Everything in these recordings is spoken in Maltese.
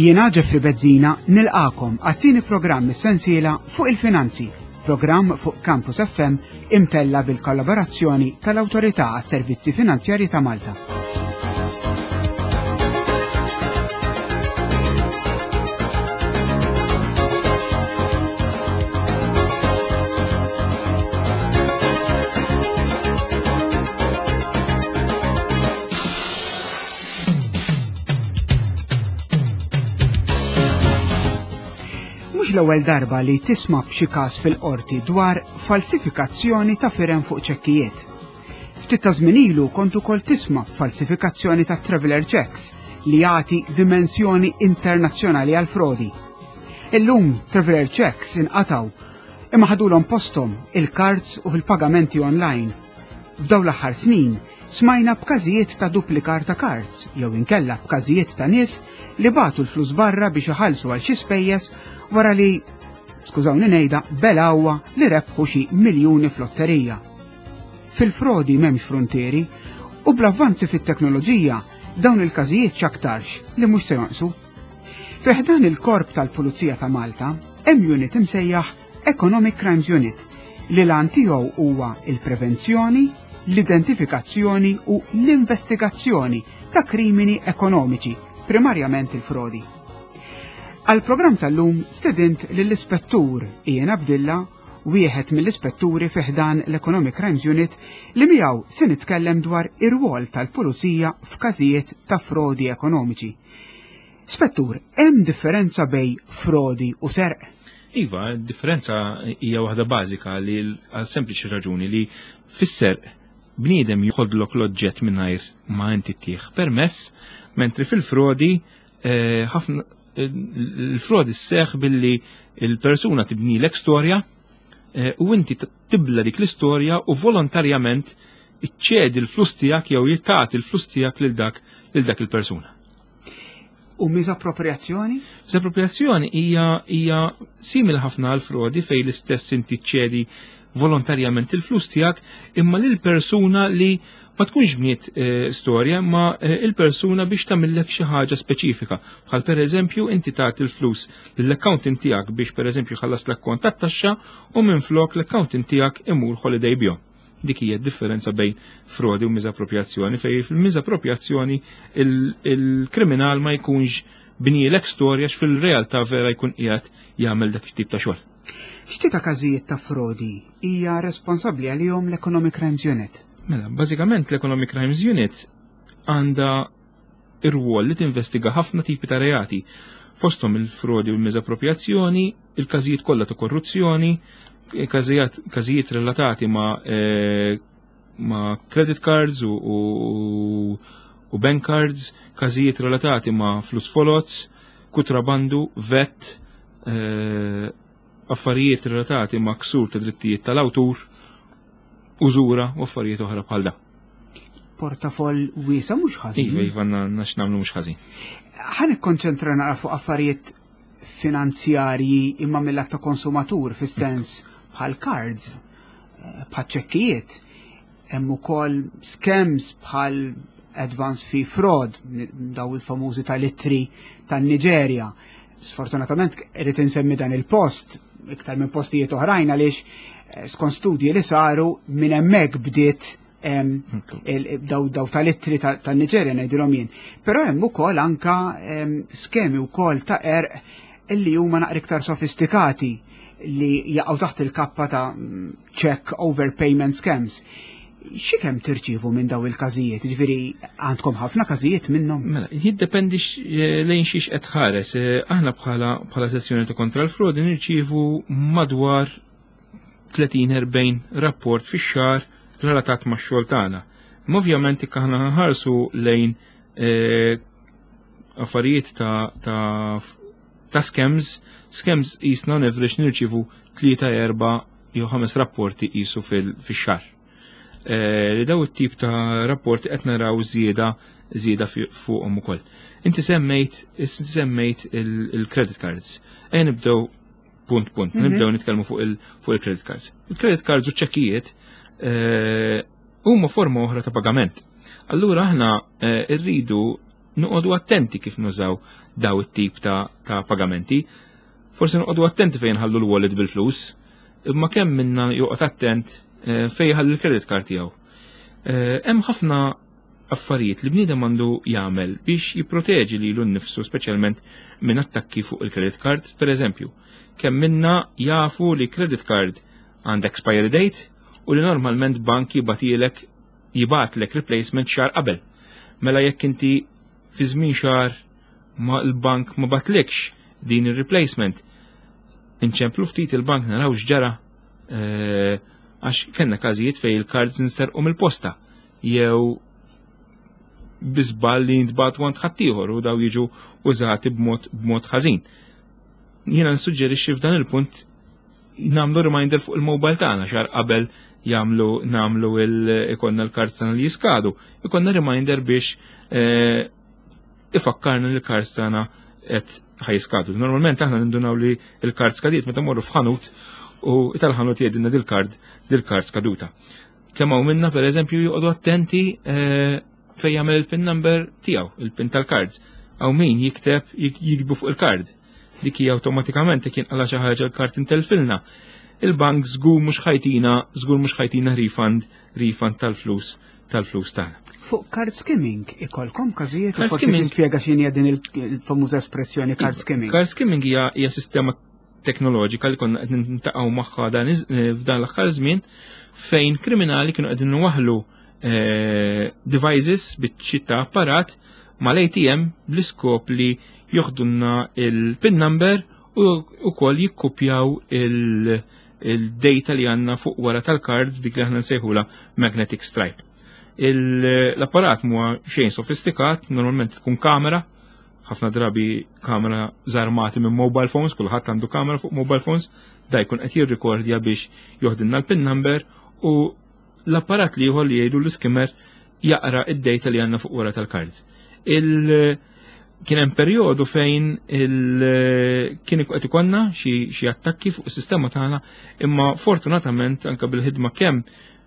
Jiena Jeffrey Bezzina nilqakom għat-tieni programm is-sensiela fuq il-finanzi, programm fuq Campus FM imtella bil-kollaborazzjoni tal-Awtorità għas-Servizzi Finanzjarji ta' Malta. Mhux l-ewwel darba li tisma' b'xi każ fil-qorti dwar falsifikazzjoni ta' firem fuq ċekkijiet. Ftit ta' żmien ilu kont ukoll tisma' falsifikazzjoni ta' traveler checks li jagħti dimensjoni internazzjonali għal frodi. Illum traveler checks inqataw imma ħadulhom posthom il-cards u il-pagamenti online. F'dawn l-aħħar snin smajna b'każijiet ta' duplikar ta' cards jew inkella b'każijiet ta' nies li bagħtu l-flus barra biex iħallsu għal xi spejjeż wara li skużawni ngħidha belgħuha li rebħu xi miljuni f'lotterija. Fil-frodi m'hemmx fruntieri u bl-avvanzi fit-teknoloġija dawn il-każijiet x'aktarx li mhux se jonqsu. Fi ħdan il-Korp tal-Pulizija ta' Malta hemm unit imsejjaħ Economic Crimes Unit li l-għan tiegħu huwa il-prevenzjoni, l-identifikazzjoni u l-investigazzjoni ta' krimini ekonomiċi, primarjament il-frodi. Għal-programm tal-lum stedint lill-ispettur Ian Abdilla, wieħed mill-ispetturi fi ħdan l-Economic Crimes Unit li miegħu se nitkellem dwar ir-rwol tal-pulizija f'każijiet ta' frodi ekonomiċi. Spettur, hemm differenza bejn frodi u serq? Iva, differenza hija waħda bażika li għal sempliċi raġuni li fis-serq bniedem joħodlok l-oġġett mingħajr ma inti ttih permess, mentri fil-frodi eh, ħafna il-frodi sseħħ billi il-persuna tibnilek storja eh, u inti tibla dik l-istorja u volontarjament iċċedi l-flus tiegħek jew jittagħti l-flus tiegħek lil dak lil dak il-persuna. U miżappropriazzjoni? Miżappropriazzjoni hija hija simili ħafna għal frodi fejn l-istess inti ċedi volontarjament il-flus tiegħek imma lil persuna li ma tkunx bniet eh, storja ma eh, il-persuna biex tagħmillek xi ħaġa speċifika. Bħal pereżempju inti tagħti l-flus lill-accountant tiegħek biex pereżempju ħallas l-akkont tat-taxxa u minflok l-accountant tiegħek imur holiday bihom. Dik hija d-differenza bejn frodi u miżappropriazzjoni fejn fil-miżappropriazzjoni il-kriminal ma jkunx bnielek storja fil-realtà vera jkun qiegħed jagħmel dak it-tip ta' xogħol. X'tip ta' każijiet ta' frodi hija responsabbli għalihom l-Economic Crimes Unit? Mela, bażikament l-Economic Crimes Unit għandha ir-rwol li tinvestiga ħafna tipi ta' reati, fosthom il-frodi u l-miżappropriazzjoni, il-każijiet kollha ta' korruzzjoni, każijiet relatati ma' eh, ma' credit cards u, u, u bank cards, każijiet relatati ma' flus folots, kutrabandu, vet, eh, affarijiet relatati ma' ksur ta' drittijiet tal-awtur, użura u affarijiet oħra bħal da. Portafoll wiesa mhux ħażin. Iva, iva, nax nagħmlu mhux ħażin. Ħa nikkonċentra naqra fuq affarijiet finanzjarji imma mill ta' konsumatur fis-sens bħal cards, eh, bħal ċekkijiet, hemm ukoll scams bħal advance fee fraud, daw il-famużi tal-ittri tan-Niġerja. Sfortunatament irrid insemmi dan il-post iktar minn postijiet oħrajn għaliex eh, skont studji li saru minn hemmhekk bdiet daw daw tal-ittri tan-Niġerja ngħidilhom jien. Però hemm ukoll anka skemi wkoll ta' erq illi huma naqra iktar sofistikati li jaqgħu taħt il-kappa ta' check overpayment scams. Xi kemm tirċievu minn daw il-każijiet? Ġifieri għandkom ħafna każijiet minnhom? Mela, jiddependi eh, lejn xiex qed tħares. Eh, aħna bħala bħala sezzjoni ta' kontra l-frodi nirċievu madwar 30-40 rapport fix-xahar relatat max-xogħol tagħna. Imma ovvjament jekk aħna nħarsu lejn eh, affarijiet ta' ta' ta' scams, scams jisna on average nirċievu 3, 4 jew 5 rapporti qisu fix-xahar. Eh, li daw it-tip ta' rapporti qed naraw żieda żieda fuqhom ukoll. Inti semmejt inti semmejt il-credit cards. Ejja nibdew punt punt, mhm. nibdew nitkellmu fuq il-credit cards. Il-credit cards u ċekkijiet eh, huma forma oħra ta' pagament. Allura aħna eh, rridu Noqogħdu attenti kif nużaw daw it-tip ta', ta pagamenti. Forsi noqogħdu attenti fejn ħallu l-wallet bil-flus, imma kemm minna joqgħod attent eh, fejn ħalli l-credit card tiegħu. Eh, hemm ħafna affarijiet li bniedem għandu jagħmel biex jipproteġi lilu nnifsu speċjalment minn attakki fuq il-credit card, per eżempju, kemm minna jafu li credit card għandha expiry date u li normalment bank jibatilek jibatlek replacement xahar qabel. Mela jekk inti fi żmien xahar ma l-bank ma batlekx din il-replacement, inċemplu ftit il-bank naraw x'ġara eh, għax kellna każijiet fej il-cards nsterqu mill-posta jew bi żball li jintbagħtu għand ħaddieħor u daw jiġu użati b'mod b'mod ħażin. Jiena nsuġġerixxi f'dan il-punt nagħmlu reminder fuq il-mobile tagħna xahar qabel jagħmlu nagħmlu il ikollna l-cards tagħna li jiskadu, ikollna reminder biex eh, ifakkarna li l-cards tagħna qed ħa jiskadu. Normalment aħna nindunaw li l-card skadiet meta morru f'ħanut u tal-ħanut jgħidilna dil-card dil-card skaduta. Kemm hawn minna pereżempju joqogħdu attenti eh, fejn jagħmel il-pin number tiegħu, il-pin tal-cards. Hawn min jikteb jiktbu fuq il-card. Dik hija awtomatikament jekk jinqala xi ħaġa l-card intelfilna. Il-bank żgur mhux ħa jtina, żgur mhux ħa jtina refund, refund tal-flus tal-flus tagħna. Fuq card skimming ikolkom każijiet u forsi tispjega x'inhi din il-famuża espressjoni card skimming. Card skimming hija hija sistema teknoloġika li konna qed nintaqgħu magħha dan eh, f'dan l-aħħar żmien fejn kriminali kienu qegħdin waħlu eh, devices biċċiet ta' apparat mal-ATM bl-iskop li joħdunna il-PIN number u wkoll jikkupjaw il-data li għandna fuq wara tal-cards dik li aħna nsejħula magnetic stripe. L-apparat huwa xejn sofistikat, normalment tkun kamera, ħafna drabi kamera żarmati minn mobile phones, kulħadd għandu kamera fuq mobile phones, da jkun qed jirrikordja biex joħdilna l-PIN number u l-apparat li ieħor li jgħidu l-skimmer jaqra id-data li għandna fuq wara tal-cards. Il kien hemm perjodu fejn il kien qed ikollna xi attakki fuq is-sistema tagħna, imma fortunatament anke bil-ħidma kemm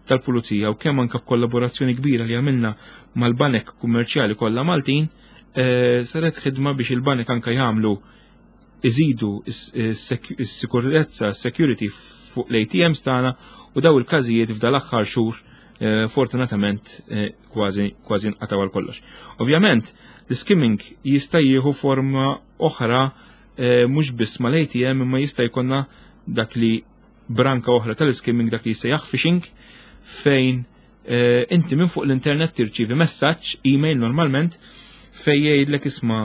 tal-pulizija u kemm anke b'kollaborazzjoni kbira li għamilna mal-banek kummerċjali kollha Maltin, eh, saret ħidma biex il-banek anke jagħmlu iżidu s-sikurezza, security fuq l-ATMs tagħna u daw il-każijiet f'dal aħħar xhur eh, fortunatament eh, kważi kważi nqataw għal kollox. Ovvjament, l-skimming jista' jieħu forma oħra eh, mhux biss mal-ATM imma jista' jkollna dak li branka oħra tal-skimming dak li jissejjaħ phishing fejn inti minn fuq l-internet tirċievi messaġġ, email normalment, fej jgħidlek isma'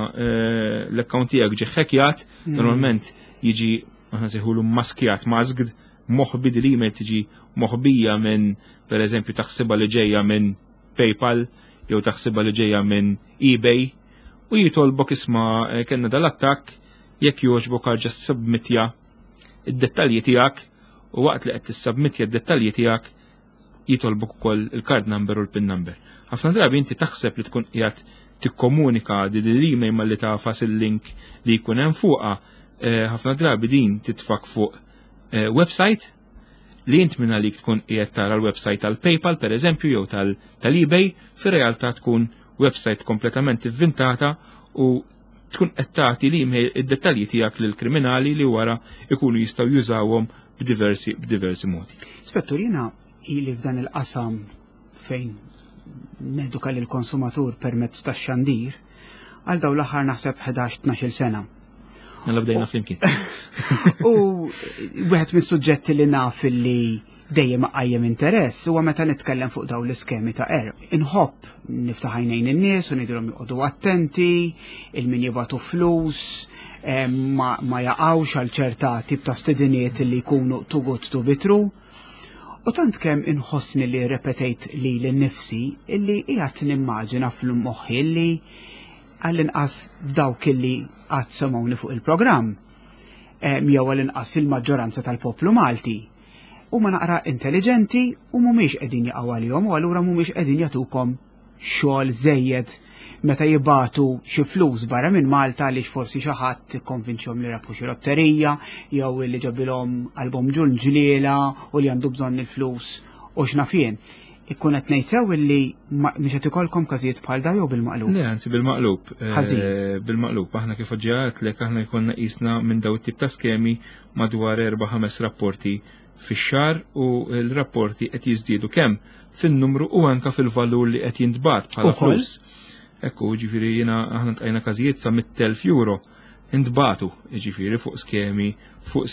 l-account tiegħek ġie ħekjat, normalment jiġi aħna nsejħulu maskjat, masked, moħbi din l-email tiġi moħbija minn per eżempju taħsibha li ġejja minn PayPal jew taħsibha li ġejja minn eBay u jitolbok isma' eh, kellna dal-attakk jekk jogħġbok arġa' submitja id-dettalji tiegħek u waqt li qed tissubmitja d-dettalji tiegħek jitolbok ukoll il-card number u l-pin number. Ħafna drabi inti taħseb li tkun qiegħed tikkomunika di l-email malli tagħfas il-link li jkun hemm fuqha, eh, ħafna drabi din titfak fuq eh, website li int minn għalik tkun qiegħed tara l-website tal-PayPal per eżempju jew tal-eBay, fir-realtà tkun website kompletament ivvintata u tkun qed tagħti l-email id-dettalji tiegħek lil kriminali li wara ikunu jistgħu jużawhom b'diversi b'diversi modi. Spettur, jiena ili f'dan il-qasam fejn neduka lil konsumatur permezz tax-xandir għal dawn l-aħħar naħseb 11-12 sena. Mela bdejna flimkien. U wieħed mis-suġġetti li naf li dejjem qajjem interess huwa meta nitkellem fuq dawn l-iskemi ta' qerq. Inħobb niftaħ għajnejn in-nies u ngħidilhom joqogħdu attenti, il-min jibgħatu flus, eh, ma, ma jaqgħux għal ċerta tip ta' stediniet li jkunu too good to be true. U tant kemm inħossni li repetejt li l-nifsi illi qiegħed nimmaġina fl-moħħi li għall-inqas dawk illi qatt semgħuni fuq il-programm eh, jew għall-inqas fil-maġġoranza tal-poplu Malti huma naqra intelligenti u mhumiex qegħdin jaqgħu għalihom u allura mhumiex qegħdin jagħtukom xogħol żejjed meta jibatu xi flus barra minn Malta għaliex forsi xi ħadd ikkonvinċhom li rabħu xi lotterija jew li ġabilhom album ġunġliela u li għandu bżonn il-flus u x'naf jien. Ikun qed ngħid sew illi mhux qed ikollkom każijiet bħal da jew bil-maqlub? Le, anzi bil-maqlub. Ħażin. Bil-maqlub, aħna kif ġeħatlek aħna jkollna qisna minn daw it-tip ta' skemi madwar 4-5 rapporti fix-xahar u l-rapporti qed jiżdiedu kemm fin-numru u anka fil-valur li qed jintbagħat bħala Ukoll? flus. Ekku, ġifieri jiena aħna tqajna każijiet sa 100,000 euro intbagħtu, ġifieri fuq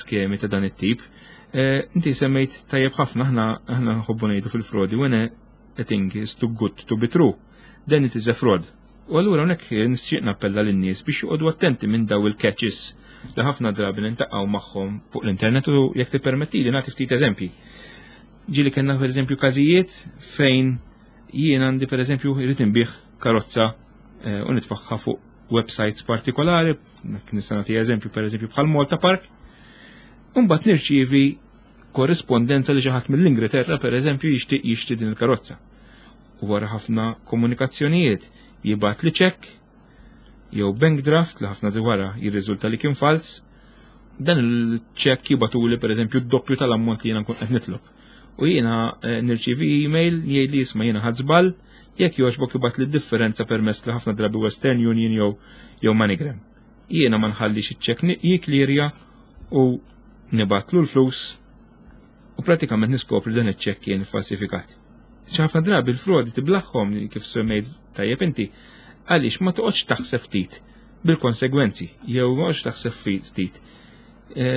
skemi ta' dan it-tip. Inti semmejt tajjeb ħafna, aħna nħobbu ngħidu fil-frodi, "When a thing is too good to be true, then it is a fraud." U allura hawnhekk nixtieq nappella lin-nies biex joqogħdu attenti minn daw il-catches li ħafna drabi niltaqgħu magħhom fuq l-internet u jekk tippermettili nagħti ftit eżempji. Ġieli kellna pereżempju każijiet fejn jien għandi, pereżempju, irrid inbigħ karozza u nitfagħha fuq websites partikolari, nista' nagħti eżempju, pereżempju, bħal Malta Park, Mbagħad nirċievi korrispondenza li xi ħadd mill-Ingilterra, pereżempju, jixtieq jixtri din il-karozza. U wara ħafna komunikazzjonijiet jibgħat li ċekk jew bank draft li ħafna wara jirriżulta li kien fals. Dan il-ċekk jibagħtuli, pereżempju, d-doppju tal-ammont li jiena nkun qed nitlob. U jiena nirċievi email jgħid li, "Isma', jiena ħadt żball, jekk jogħġbok ibgħat li differenza permezz li ħafna drabi Western Union jew MoneyGram." Jiena ma nħallix iċ-ċekk jiklirja u nibgħatlu l-flus u pratikament niskopri dan iċ-ċekk kien falsifikat. ħafna drabi l-frodi tiblagħhom, kif semmejt tajjeb inti, għaliex ma toqgħodx taħseb ftit bil-konsegwenzi jew ma toqgħodx taħseb ftit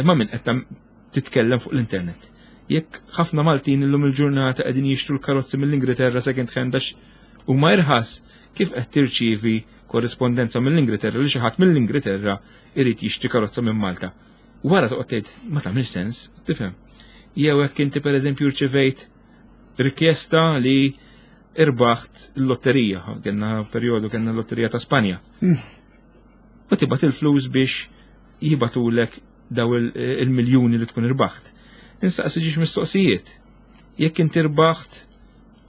ma' min qed titkellem fuq l-internet. Jekk ħafna Maltin illum il-ġurnata qegħdin jixtru l-karozzi mill-Ingilterra second hand għax huma irħas, kif qed tirċievi korrispondenza mill-Ingilterra li xi ħadd mill-Ingilterra irid jixtri karozza minn Malta? Wara toqgħod tgħid, "Ma tagħmilx sens," tifhem. Jew hekk inti, pereżempju, rċevejt rikjesta li irbaħt l-lotterija, kellna perjodu kellna l-lotterija ta' Spanja. U tibgħat il-flus biex jibagħtulek daw il-miljuni li tkun irbaħt. Insaqsi ġiex mistoqsijiet. Jekk inti irbaħt,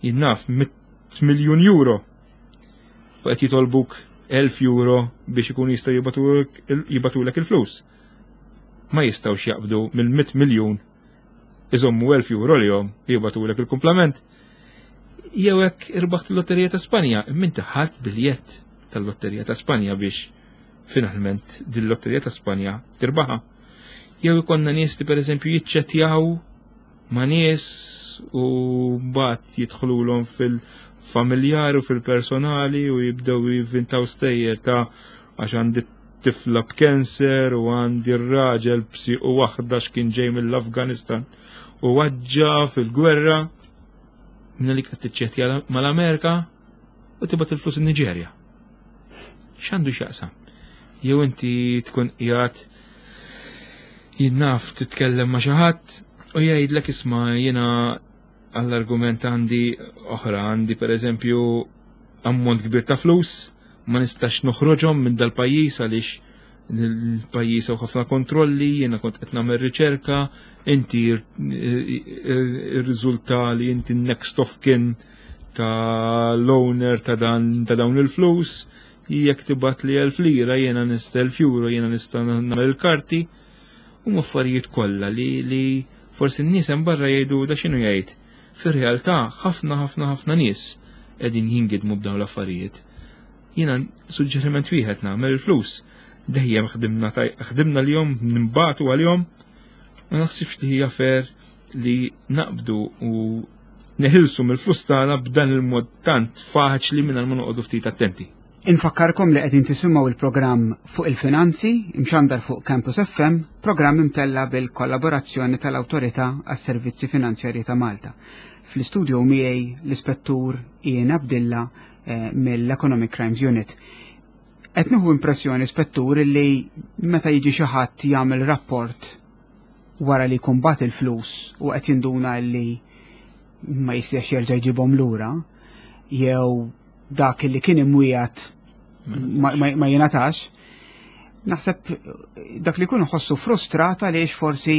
jien naf, 100 miljun euro u qed jitolbuk 1000 euro biex ikun jistgħu jibagħtulek il-flus. Ma jistgħux jaqbdu mill-100 miljun, iżommu 1000 euro li jom jibagħtulek il-kumplament. Jew hekk irbaħt il-Lotterija ta' Spanja, imma ħadt biljett tal-Lotterija ta' Spanja biex finalment din lotterija ta' Spanja tirbaħa. Jew ikonna nies li, pereżempju, jiċċettjaw ma' nies u mbagħad jidħlulhom fil-familjari u fil-personali u jibdew jivvintaw stejjer ta' għax għandi tifla b'kanser u għandi r-raġel b'sieq waħda x'kien ġej mill-Afganistan u weġġa' fil-gwerra, minna li qed tiċċettja mal-Amerika u tibgħat il-flus in-Niġerja. X'għandu x'jaqsam? Jew inti tkun qiegħed, jien naf, titkellem ma' xi ħadd u jgħidlek, "Isma', jiena għall-argument għandi oħra, għandi, pereżempju, ammont kbir ta' flus, ma nistax noħroġhom minn dal-pajjiż għaliex il-pajjiż hawn ħafna kontrolli, jiena kont qed nagħmel riċerka, inti ir-riżulta li inti next of kin ta' l-owner ta' dawn il-flus, jekk tibgħat li 1000 lira jiena nista', 1000 euro, jiena nista' nagħmel il-karti." U affarijiet kollha li forsi n-nies hemm barra jgħidu, "Da x'inhu jgħid?" Fir-realtà ħafna, ħafna, ħafna nies qegħdin jingidmu b'dawn l-affarijiet. Jiena suġġeriment wieħed nagħmel: il-flus dejjem ħdimna l-jom nimbatu għal-jom, ma naħsibx li hija fair li naqbdu u neħilsu mill-flus tagħna b'dan il-mod tant faċli minn ma noqogħdu ftit attenti. Infakkarkom li qegħdin tisimgħu il-programm Fuq il-Finanzi, imxandar fuq Campus FM, programm imtella bil-kollaborazzjoni tal-Awtorità għas-Servizzi Finanzjarji ta' Malta. Fl-istudio miegħi l-Ispettur Ian Abdilla mill-Economic Crimes Unit. Qed nieħu impressjoni, Spettur, li meta jiġi xi ħadd jagħmel rapport wara li jkun bagħat il-flus u qed jinduna li ma jistax jerġa' jġibhom lura jew dak li kien imwiegħed ma jingħatax, naħseb dak li jkun ħossu frustrata għaliex forsi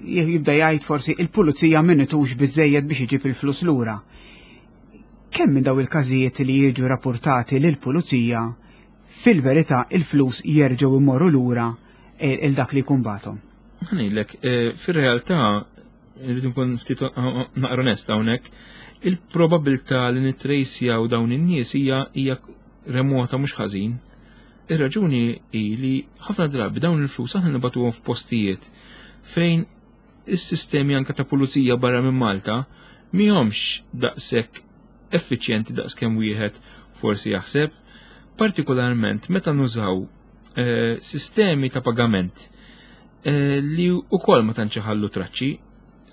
jibda jgħid forsi il-pulizija m'għenitux biżejjed biex iġib il-flus lura. Kemm minn daw il-każijiet li jiġu rapportati lill-pulizija fil-verità il-flus jerġgħu imorru lura il dak li jkun bagħathom? Ħa ngħidlek, fir-realtà, rridu nkun ftit naqra onest hawnhekk. Il-probabilità li nittrejsjaw dawn in-nies hija remota mhux ħażin. Ir-raġuni hi li ħafna drabi dawn il-flus aħna nibagħtuhom f'postijiet fejn is-sistemi anke ta' pulizija barra minn Malta mihomx daqshekk effiċjenti daqs kemm wieħed forsi jaħseb, partikolarment meta nużaw sistemi ta' pagament li wkoll ma tantx iħallu traċċi,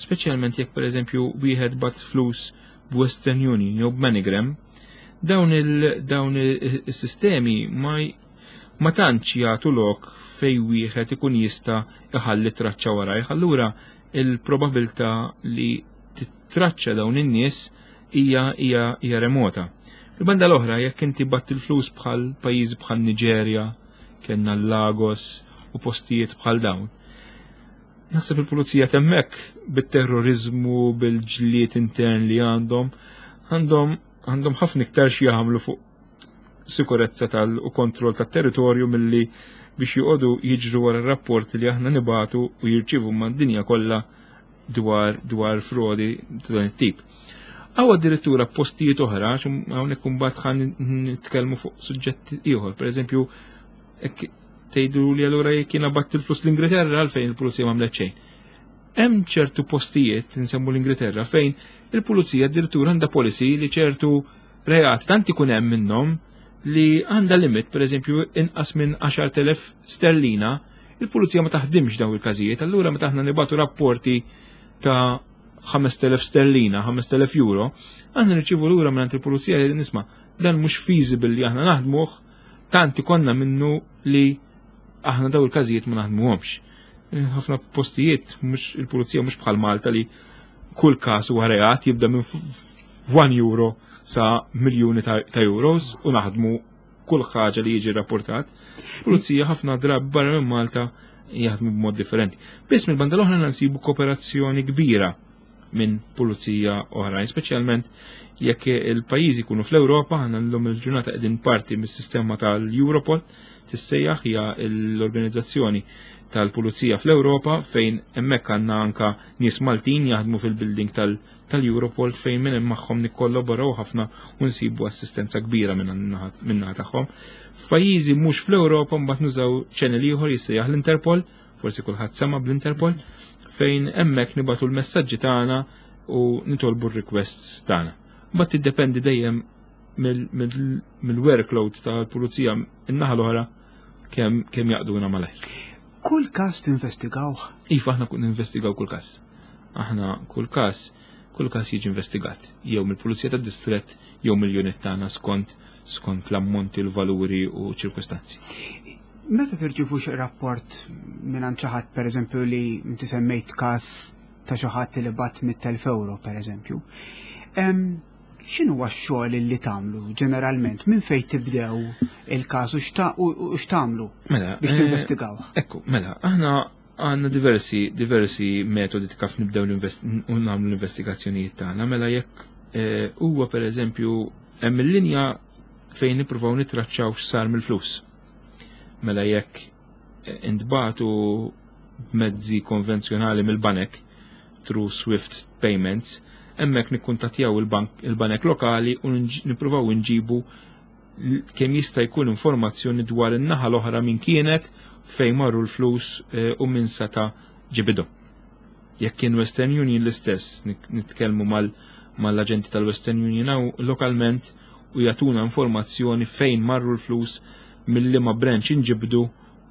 speċjalment jekk pereżempju wieħed bagħat flus b'Western Union jew b'MoneyGram, dawn is-sistemi ma tantx jagħtu lok fej wieħed ikun jista' iħalli traċċa warajh. Allura il-probabilità li titraċċa dawn in-nies hija remota. Il-banda l-oħra, jekk inti bgħatt il-flus bħal pajjiżi bħal Niġerja, kellna Lagos u postijiet bħal dawn. Naħseb il-pulizija t'hemmhekk bit-terrorizmu, bil-ġlied intern li għandhom, għandhom ħafna iktar xi jagħmlu fuq sikurezza tal u kontroll tat-territorju milli biex joqogħdu jiġru wara r-rapporti li aħna nibatu u jirċievu mad-dinja kollha dwar frodi ta' dan it-tip. Għaw addirittura postijiet oħra, hawnhekk imbagħad ħa nitkellmu fuq suġġett ieħor, pereżempju, hekk tgħidu li allura jekk jiena bgħatt il-flus l-Ingilterra għalfejn il-pulizija m'għamlet xejn. Hemm ċertu postijiet, nsemmu l-Ingilterra, fejn il-pulizija addirittura għandha policy li ċertu reat tant ikun hemm minnhom li għandha limit, pereżempju, inqas minn 10,000 sterlina, il-pulizija ma taħdimx dawn il-każijiet, allura meta aħna nibatu rapporti ta' 5,000 sterlina, 5,000 euro, aħna nirċievu lura minn il-pulizija li nisma' dan mhux feasible li aħna naħdmuh, tant ikonna minnu li aħna daw il-każijiet ma naħdmuhomx. Ħafna postijiet mhux il-pulizija mhux bħal Malta li kull każ huwa reat jibda minn 1 euro sa miljuni ta' euros u naħdmu kull ħaġa li jiġi rapportat. Pulizija ħafna drabi barra minn Malta jaħdmu b'mod differenti. Biss mill-banda l-oħra nsibu kooperazzjoni kbira minn pulizija oħrajn, speċjalment jekk il-pajjiżi jkunu fl-Ewropa, aħna llum il-ġurnata qegħdin parti mis-sistema tal-Europol, tissejjaħ hija l-organizzazzjoni tal-pulizija fl-Ewropa fejn hemmhekk għandna anka nies Maltin jaħdmu fil-building tal-Europol fejn minn hemm magħhom nikkollaboraw ħafna u nsibu assistenza kbira min-naħa tagħhom. F'pajjiżi mhux fl-Ewropa mbagħad nużaw channel ieħor jissejjaħ l-Interpol, forsi kulħadd sema bl-Interpol, fejn hemmhekk nibatu l-messaġġi tagħna u nitolbu r-requests tagħna. Mbagħad tiddependi dejjem mill-workload tal-pulizija in-naħa l-oħra kemm jaqduna malajr. Kull każ tinvestigawh? Iva, aħna kun ninvestigaw kull każ. Aħna kull każ jiġi investigat, jew mill-pulizija tad-distrett jew mill-unit tagħna skont l-ammonti, l-valuri u ċirkustanzi. Meta tirċievu xi rapport minn xi ħadd, pereżempju, li inti semmejt każ ta' xi ħadd li bagħat 100,000 euro, pereżempju, x'inhu x-xogħol li tagħmlu ġeneralment? Minn fejn tibdew il-każ u x'tagħmlu biex tinvestigaw? Ekku, mela, aħna għandna diversi metodi kif nibdew u nagħmlu l-investigazzjonijiet tagħna. Mela jekk huwa pereżempju hemm il-linja fejn nippruvaw nittraċċaw x'sar mill-flus. Mela jekk intbagħtu b'mezzi konvenzjonali mill-banek through Swift payments, hemmhekk nikkuntattjaw il-banek lokali u nippruvaw nġibu kemm jista' jkun informazzjoni dwar in-naħa l-oħra min kienet, fejn marru l-flus u min seta' ġibidhom. Jekk kien Western Union l-istess, nitkellmu mal-aġenti tal-Western Union hawn lokalment u jagħtuna informazzjoni fejn marru l-flus, mill-liema branch inġibdu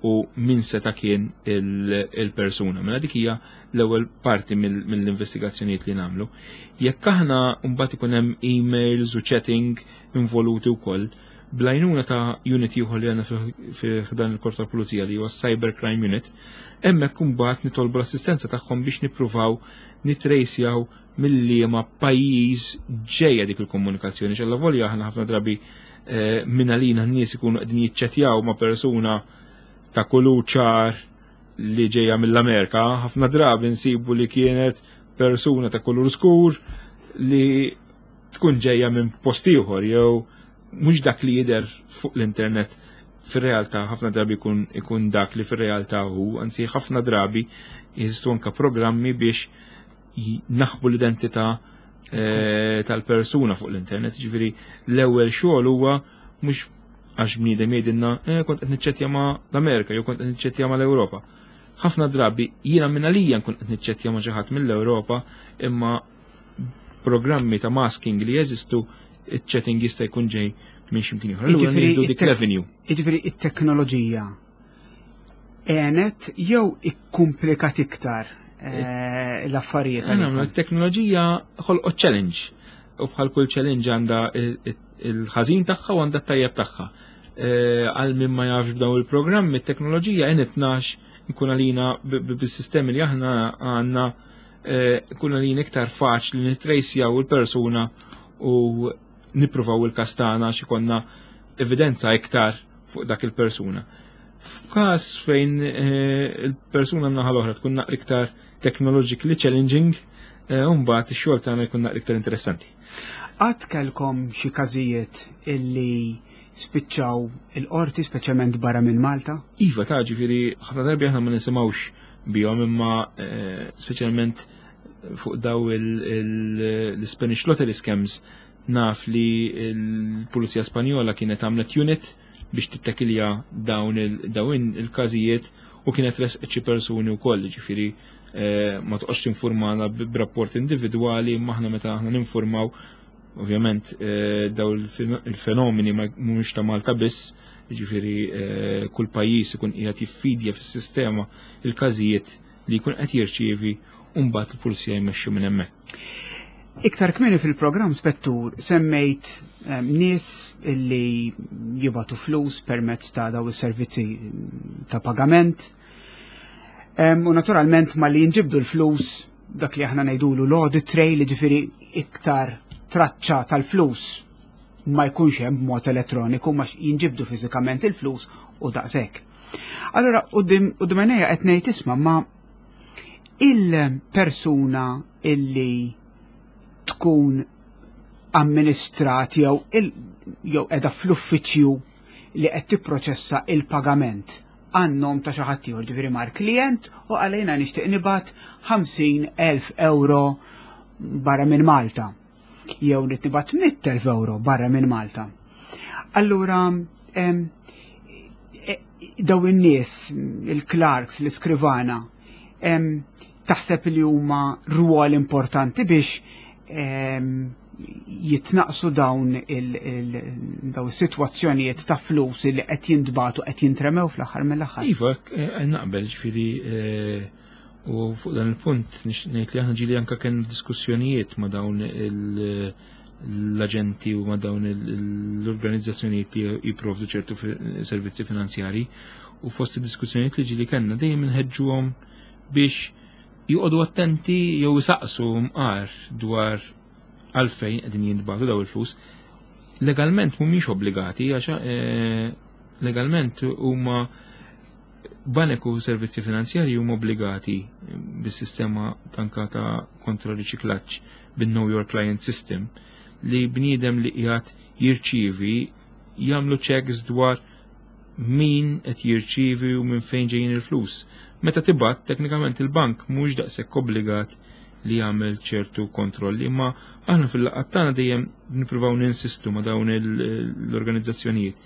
u min seta' kien il-persuna. Mela dik hija l-ewwel parti mill-investigazzjonijiet li nagħmlu. Jekk aħna mbagħad ikun hemm emails u chatting involuti wkoll, bl-għajnuna ta' unit ieħor li għandna fi dan il-Korp tal-Pulizija li huwa Cyber Crime Unit, hemmhekk imbagħad nitolbu l-assistenza tagħhom biex nippruvaw nitrejsjaw mill-liema pajjiż ġejja dik il-komunikazzjoni. X'alla volja aħna ħafna drabi minn għalina n-nies ikunu qegħdin jiċċettjaw ma' persuna ta' kulur ċar li ġejja mill-Amerika, ħafna drabi nsibu li kienet persuna ta' kulur skur li tkun ġejja minn post ieħor jew mhux dak li jidher fuq l-internet fir-realtà ħafna drabi ikun dak li fir-realtà hu, anzi ħafna drabi jeżistu anke programmi biex naħbu l-identità Tal-persuna fuq l-internet, ġifieri l-ewwel xogħol huwa mhux għax bniedem jgħidilna kont qed niċċettja ma' l-Amerika jew kont qed niċċettja ma' l-Ewropa. Ħafna drabi jiena minn għalija nkun qed niċċettja ma' xi ħadd mill-Ewropa, imma programmi ta' masking li jeżistu, iċ-chatting jista' jkun ġej minn x'imkien ieħor. Allura nieħdu dik l-avenue. Jiġifieri it-teknoloġija għenet jew ikkumplikat iktar l-affarijiet? Il-teknoloġija ħolqot challenge u bħal kull challenge għandha il-ħażin tagħha u għandha t-tajjeb tagħha. Għal min ma jafx b'dawn il-programmi, it-teknoloġija għenitna nkun għalina bis-sistemi li aħna għandna, nkun għalina iktar faċli nittrejsjaw il-persuna u nippruvaw il-każ tagħna xi konna evidenza iktar fuq dak il-persuna. F'każ fejn il-persuna naħa l-oħra tkun naqra iktar technologically challenging, mbagħad ix-xogħol tagħna jkun naqra iktar interessanti. Qatt kellkom xi każijiet illi spiċċaw il-qorti, speċjalment barra minn Malta? Iva, ta' ġifieri ħafna darbi aħna ma nisimgħux bihom, imma speċjalment fuq daw l-Spanish Lottery scams naf li l-Pulizija Spanjola kienet għamlet unit biex tittakilja dawn il-każijiet u kienet resqet xi persuni wkoll, ġifieri ma toqgħodx tinformana b'rapport individwali, imma aħna meta aħna ninformaw, ovvjament daw il-fenomeni ma mhumiex ta' Malta biss, ġifieri kull pajjiż ikun qiegħed jiffidja fis-sistema il-każijiet li jkun qed jirċievi u mbagħad il-pulizija jmexxu minn hemmhekk. Iktar kmieni fil-programm, Spettur, semmejt nies illi jibatu flus permezz ta' daw is-servizzi ta' pagament. U naturalment ma li jinġibdu l-flus, dak li aħna ngħidulu l-audit trail, ġifieri iktar traċċa tal-flus ma jkunx hemm b'mod elettroniku, ma jinġibdu fiżikament il-flus u daqshekk. Allora, quddiem għajnejja qed ngħid, isma', ma il-persuna illi tkun amministrat jew qiegħda fl-uffiċċju li qed tipproċessa il-pagament għan-nom ta' xi ħadd ieħor, ġifieri mar klient u għalejna nixtieq nibgħat 50,000 euro barra minn Malta jew nibgħat 100,000 euro barra minn Malta. Allura daw in-nies, il-clerks, l-iskrivana, taħseb li huma rwol importanti biex jitnaqsu dawn daw is-sitwazzjonijiet ta' flus li qed jintbagħtu, qed jintremew fl-aħħar mill-aħħar? Iva, naqbel, ġifieri u fuq dan il-punt ngħid li aħna ġieli anke kien diskussjonijiet ma' dawn l-aġenti u ma' dawn l-organizzazzjonijiet li jipprovdu ċertu servizzi finanzjari, u fost id-diskussjonijiet li ġieli kellna dejjem inħeġġuhom biex joqogħdu attenti jew isaqsu mqar dwar għalfejn qegħdin jintbagħtu daw il-flus. Legalment mhumiex obbligati, għax legalment huma banek u servizzi finanzjarji huma obbligati bis-sistema tanka ta' kontra riċiklaġġ, bin-Know Your Client System, li bniedem li qiegħed jirċievi jagħmlu checks dwar min qed jirċievi u minn fejn ġejjin il-flus. Meta tibgħat, teknikament il-bank mhux daqshekk obbligat li jagħmel ċertu kontrolli, imma aħna fil-laqgħat tagħna dejjem nippruvaw ninsistu ma' dawn l-organizzazzjonijiet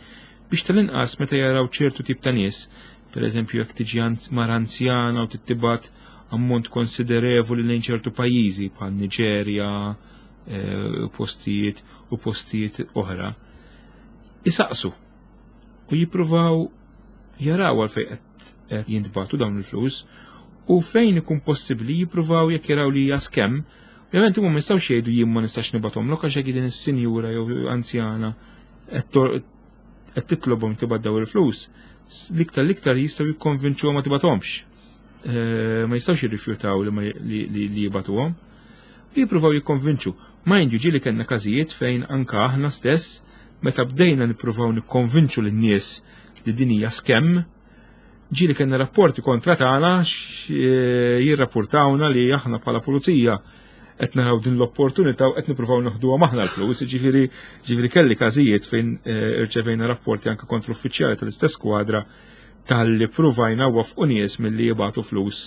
biex tal-inqas meta jaraw ċertu tip ta' nies, per eżempju jekk tiġi mara anzjana u tittibat ammont konsiderevoli lejn ċertu pajjiżi bħal Niġerja, postijiet u postijiet oħra, isaqsu u jippruvaw jaraw għalfejn qed jintbagħtu dawn il-flus, u fejn ikun possibbli jippruvaw jekk jaraw li hija scam. Ovvjament huma ma jistgħux jgħidu jien ma nistax nibgħathomlok għax jekk din is-sinjura jew anzjana qed titlobhom tibgħat daw il-flus, l-iktar l-iktar jistgħu jikkonvinċuhom ma tibgħathomx. Ma jistgħux jirrifjutaw li jibgħatuhom. Jippruvaw jikkonvinċu. Mind you, ġieli kellna każijiet fejn anka aħna stess meta bdejna nippruvaw nikkonvinċu lin-nies li din hija scam, ġieli kellna rapporti kontra tagħna jirrapportawna li aħna bħala pulizija qed naraw din l-opportunità u qed nippruvaw noħduha maħna l-flus, ġifieri kelli każijiet fejn irċevejna rapporti anke kontra uffiċjali tal-istess skwadra tal-li pruvajna wafqu nies milli jibgħatu flus,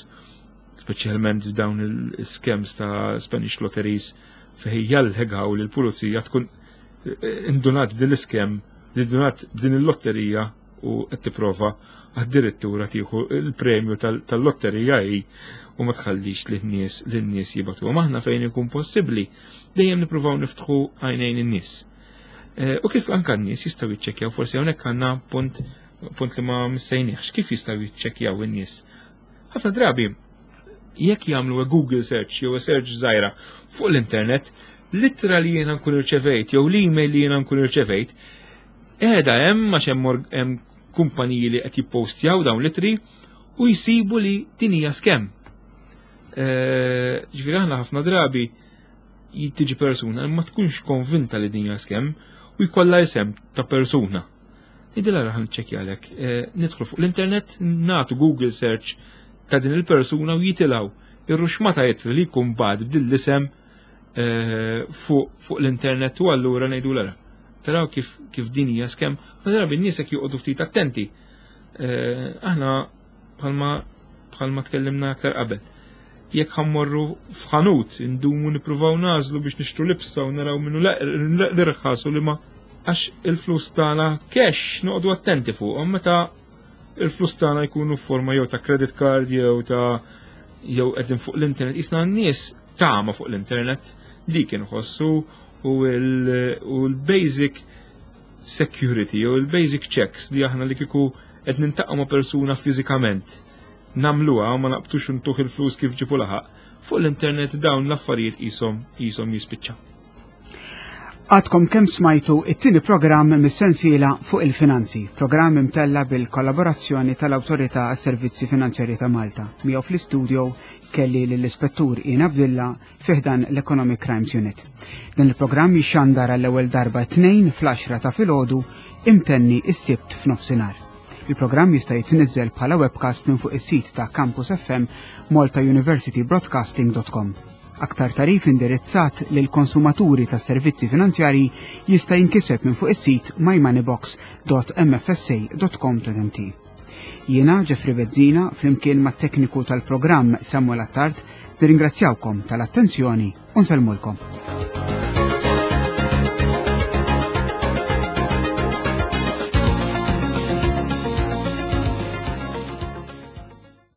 speċjalment f'dawn il-scams ta' Spanish lotteries. fejn jallegaw li l-pulizija tkun eh, indunat b'din l-iskem, indunat b'din il-lotterija u qed tipprova addirittura tieħu il-premju tal-lotterija hi u ma tħallix lin-nies lin-nies jibatu. Aħna fejn ikun possibbli dejjem nippruvaw niftħu għajnejn in-nies. Eh, u kif anka n-nies jistgħu jiċċekkjaw forsi hawnhekk għandna punt punt li ma missejniex, kif jistgħu jiċċekkjaw in-nies? Ħafna drabi jekk jagħmlu Google search jew search żgħira fuq l-internet, l-ittra li jiena nkun irċevejt jew l-email li jiena nkun irċevejt, qiegħda hemm għax hemm kumpaniji li qed jippostjaw dawn l-ittri u jsibu li din hija scam. Eh, ġifieri aħna ħafna drabi tiġi persuna ma tkunx konvinta li din hija scam u jkollha isem ta' persuna. Idila raħan ċekjalek. Eh, nidħlu fuq l-internet, natu Google search ta' din il-persuna u jitilaw ir-ruxmata jitri li jkun bad b'din l-isem eh, fuq l-internet u allura ngħidu l Taraw kif, kif din hija skem, ma drabi n-nies jekk joqogħdu ftit attenti. Eh, aħna bħalma bħalma tkellimna aktar qabel. Jekk ħammorru f'ħanut, indumu nippruvaw nażlu biex nixtru libsa u naraw minnu l-irħas u li ma għax il-flus tagħna cash noqogħdu attenti fuqhom meta il-flus tagħna jkunu f'forma jew ta' credit card jew ta' jew qegħdin fuq l-internet. Isna n-nies tama fuq l-internet dik inħossu u l-basic security jew il-basic checks li aħna li kieku qed nintaqgħu ma' persuna fiżikament nagħmluha ma naqbtux ntuh il-flus kif ġipu laħaq. Fuq l-internet dawn l-affarijiet qishom qishom jispiċċaw. Għadkom kemm smajtu it-tieni programm mis-sensiela fuq il-finanzi, programm imtella bil-kollaborazzjoni tal-Awtorità għas-Servizzi Finanzjarji ta' Malta. Miegħu fl-istudio kelli lill-Ispettur Ian Abdilla fi ħdan l-Economic Crimes Unit. Dan il-programm jixxandar għall-ewwel darba t-Tnejn fl-10 ta' filgħodu imtenni s-Sibt f'nofsinhar. Il-programm jista' jitniżżel bħala webcast minn fuq is-sit ta' Campus FM maltauniversitybroadcasting.com. Aktar tarif indirizzat lil konsumaturi ta' servizzi finanzjarji jista' jinkiseb minn fuq is-sit mymoneybox.mfsa.com.mt. Jiena Jeffrey Bezzina flimkien mat-tekniku tal-programm Samuel Attard nirringrazzjawkom tal-attenzjoni u nsellmulkom.